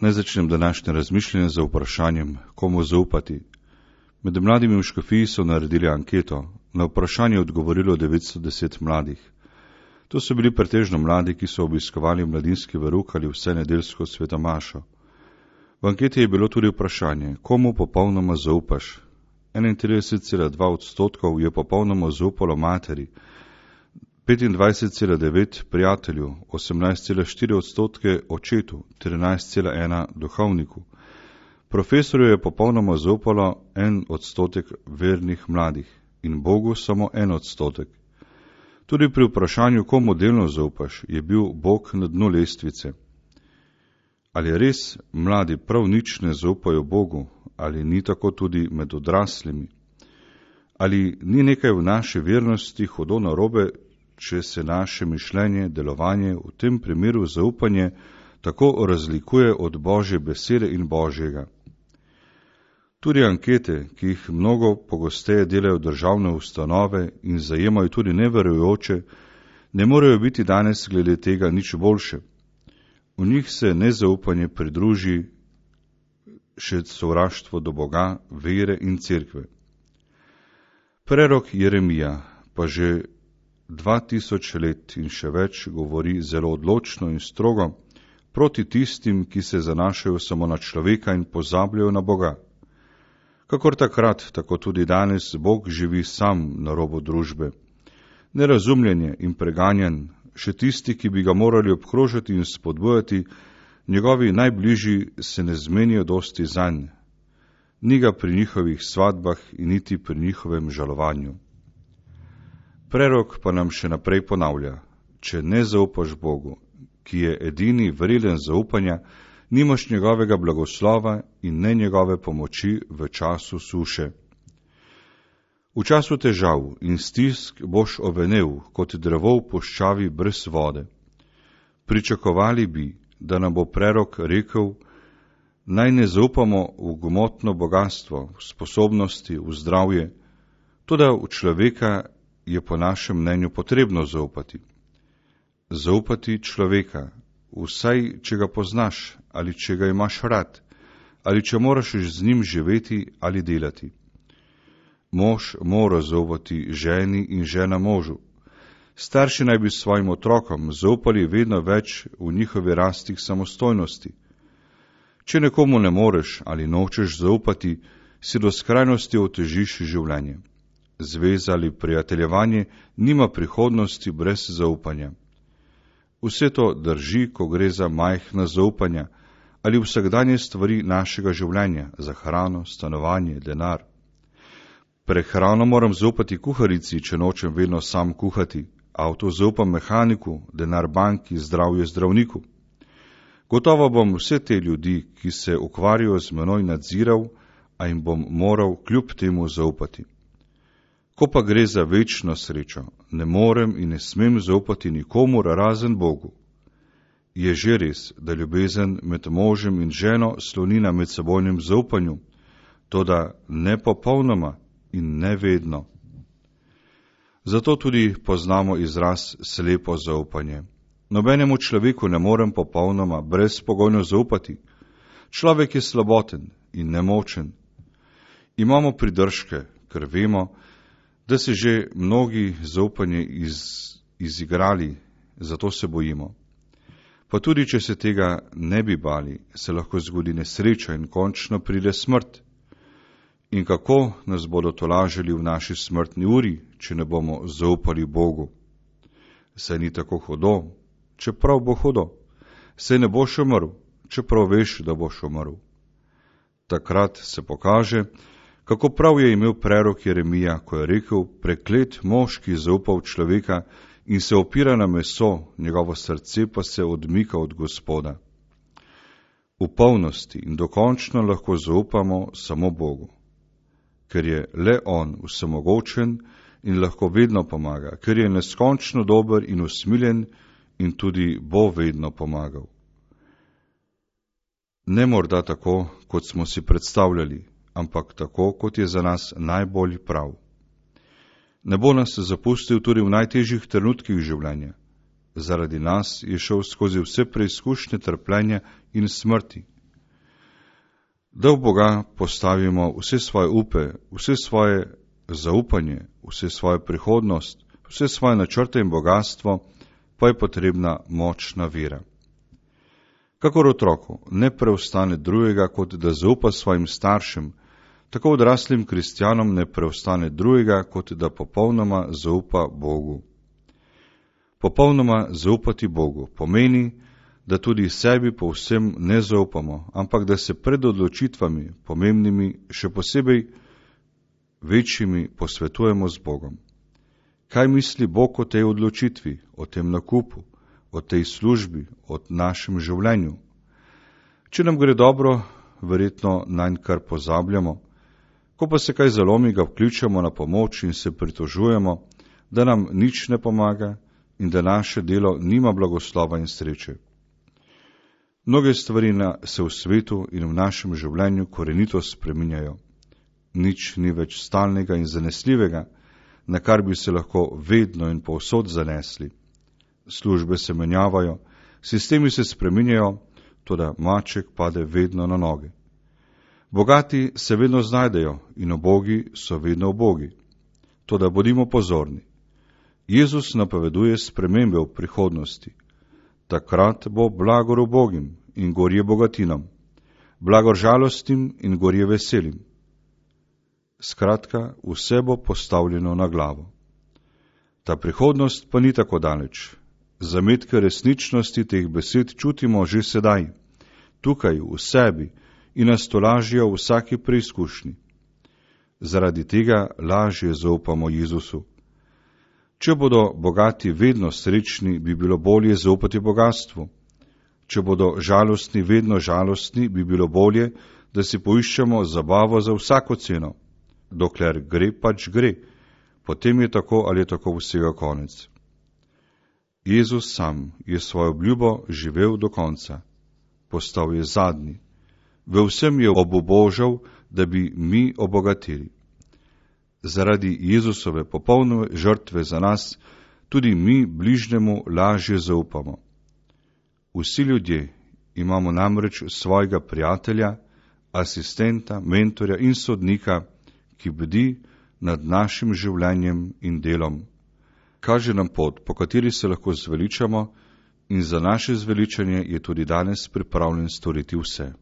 Naj začnem današnje razmišljanje z vprašanjem, komu zaupati. Med mladimi v škofiji so naredili anketo. Na vprašanje je odgovorilo 910 mladih. To so bili pretežno mladi, ki so obiskovali mladinski verouk ali vse nedeljsko svetomašo. V anketi je bilo tudi vprašanje, komu popolnoma zaupaš. 31,2% je popolnoma zaupalo materi, 25,9% prijatelju, 18,4% očetu, 13,1% duhovniku. Profesorju je popolnoma zaupalo 1% vernih mladih in Bogu samo 1%. Tudi pri vprašanju, komu delno zaupaš, je bil Bog na dnu lestvice. Ali res mladi prav nič ne zaupajo Bogu, ali ni tako tudi med odraslimi? Ali ni nekaj v naši vernosti hudo narobe, če se naše mišljenje, delovanje, v tem primeru zaupanje, tako razlikuje od Božje besede in Božjega? Tudi ankete, ki jih mnogo pogosteje delajo državne ustanove in zajemajo tudi neverujoče, ne morejo biti danes glede tega nič boljše. V njih se nezaupanje pridruži še sovraštvo do Boga, vere in cerkve. Prerok Jeremija pa že 2000 let in še več govori zelo odločno in strogo proti tistim, ki se zanašajo samo na človeka in pozabljajo na Boga. Kakor takrat, tako tudi danes Bog živi sam na robu družbe. Nerazumljenje in preganjan, še tisti, ki bi ga morali obkrožati in spodbujati, njegovi najbližji se ne zmenijo dosti zanj. Ni ga pri njihovih svadbah in niti pri njihovem žalovanju. Prerok pa nam še naprej ponavlja, če ne zaupaš Bogu, ki je edini vreden zaupanja, nimaš njegovega blagoslova in ne njegove pomoči v času suše. V času težav in stisk boš ovenel kot drevo v puščavi brez vode. Pričakovali bi, da nam bo prerok rekel, naj ne zaupamo v gmotno bogatstvo, v sposobnosti, v zdravje, toda v človeka je po našem mnenju potrebno zaupati. Zaupati človeka, vsaj če ga poznaš ali če ga imaš rad, ali če moraš z njim živeti ali delati. Mož mora zaupati ženi in žena možu. Starši naj bi svojim otrokom zaupali vedno več v njihovi rasti samostojnosti. Če nekomu ne moreš ali nočeš zaupati, si do skrajnosti otežiš življenje. Zveza ali prijateljevanje nima prihodnosti brez zaupanja. Vse to drži, ko gre za majhna zaupanja ali vsakdanje stvari našega življenja, za hrano, stanovanje, denar. Prehrano moram zaupati kuharici, če nočem vedno sam kuhati. Avto zaupam mehaniku, denar banki, zdravje zdravniku. Gotovo bom vse te ljudi, ki se ukvarjajo z menoj, nadziral, a jim bom moral kljub temu zaupati. Ko pa gre za večno srečo, ne morem in ne smem zaupati nikomur razen Bogu. Je že res, da ljubezen med možem in ženo sloni na medsebojnem zaupanju, toda ne popolnoma in ne vedno. Zato tudi poznamo izraz slepo zaupanje. Nobenemu človeku ne morem popolnoma brezpogojno zaupati. Človek je slaboten in nemočen. Imamo pridržke, ker vemo, da se že mnogi zaupanje izigrali, zato se bojimo. Pa tudi, če se tega ne bi bali, se lahko zgodi nesreča in končno pride smrt. In kako nas bodo tolažili v naši smrtni uri, če ne bomo zaupali Bogu? Saj ni tako hudo, čeprav bo hudo. Saj ne boš umrl, čeprav veš, da boš umrl. Takrat se pokaže, kako prav je imel prerok Jeremija, ko je rekel, preklet mož, ki zaupa v človeka in se opira na meso, njegovo srce pa se odmika od Gospoda. V polnosti in dokončno lahko zaupamo samo Bogu, ker je le On vsemogočen in lahko vedno pomaga, ker je neskončno dober in usmiljen in tudi bo vedno pomagal. Ne morda tako, kot smo si predstavljali, ampak tako, kot je za nas najbolj prav. Ne bo nas zapustil tudi v najtežjih trenutkih življenja. Zaradi nas je šel skozi vse preizkušnje trpljenja in smrti, da v Boga postavimo vse svoje upe, vse svoje zaupanje, vse svojo prihodnost, vse svoje načrte in bogatstvo, pa je potrebna močna vera. Kakor otroku ne preostane drugega, kot da zaupa svojim staršem, tako odraslim kristjanom ne preostane drugega, kot da popolnoma zaupa Bogu. Popolnoma zaupati Bogu pomeni, da tudi sebi povsem ne zaupamo, ampak da se pred odločitvami, pomembnimi, še posebej večjimi, posvetujemo z Bogom. Kaj misli Bog o tej odločitvi, o tem nakupu, o tej službi, o našem življenju? Če nam gre dobro, verjetno nanj kar pozabljamo, ko pa se kaj zalomi, ga vključimo na pomoč in se pritožujemo, da nam nič ne pomaga in da naše delo nima blagoslova in sreče. Mnoge stvari se v svetu in v našem življenju korenito spreminjajo. Nič ni več stalnega in zanesljivega, na kar bi se lahko vedno in povsod zanesli. Službe se menjavajo, sistemi se spreminjajo, toda maček pade vedno na noge. Bogati se vedno znajdejo in ubogi so vedno ubogi. Toda bodimo pozorni. Jezus napoveduje spremembe v prihodnosti. Takrat bo blagor ubogim in gorje bogatinom, blagor žalostim in gorje veselim. Skratka, vse bo postavljeno na glavo. Ta prihodnost pa ni tako daleč. Zametke resničnosti teh besed čutimo že sedaj, tukaj v sebi in nas tolažijo v vsaki preizkušnji. Zaradi tega lažje zaupamo Jezusu. Če bodo bogati vedno srečni, bi bilo bolje zaupati bogastvu. Če bodo žalostni vedno žalostni, bi bilo bolje, da si poiščemo zabavo za vsako ceno. Dokler gre, pač gre, potem je tako ali tako vsega konec. Jezus sam je svojo obljubo živel do konca. Postal je zadnji. Ve vsem je obubožal, da bi mi obogatili. Zaradi Jezusove popolne žrtve za nas, tudi mi bližnjemu lažje zaupamo. Vsi ljudje imamo namreč svojega prijatelja, asistenta, mentorja in sodnika, ki bdi nad našim življenjem in delom. Kaže nam pot, po kateri se lahko zveličamo, in za naše zveličanje je tudi danes pripravljen storiti vse.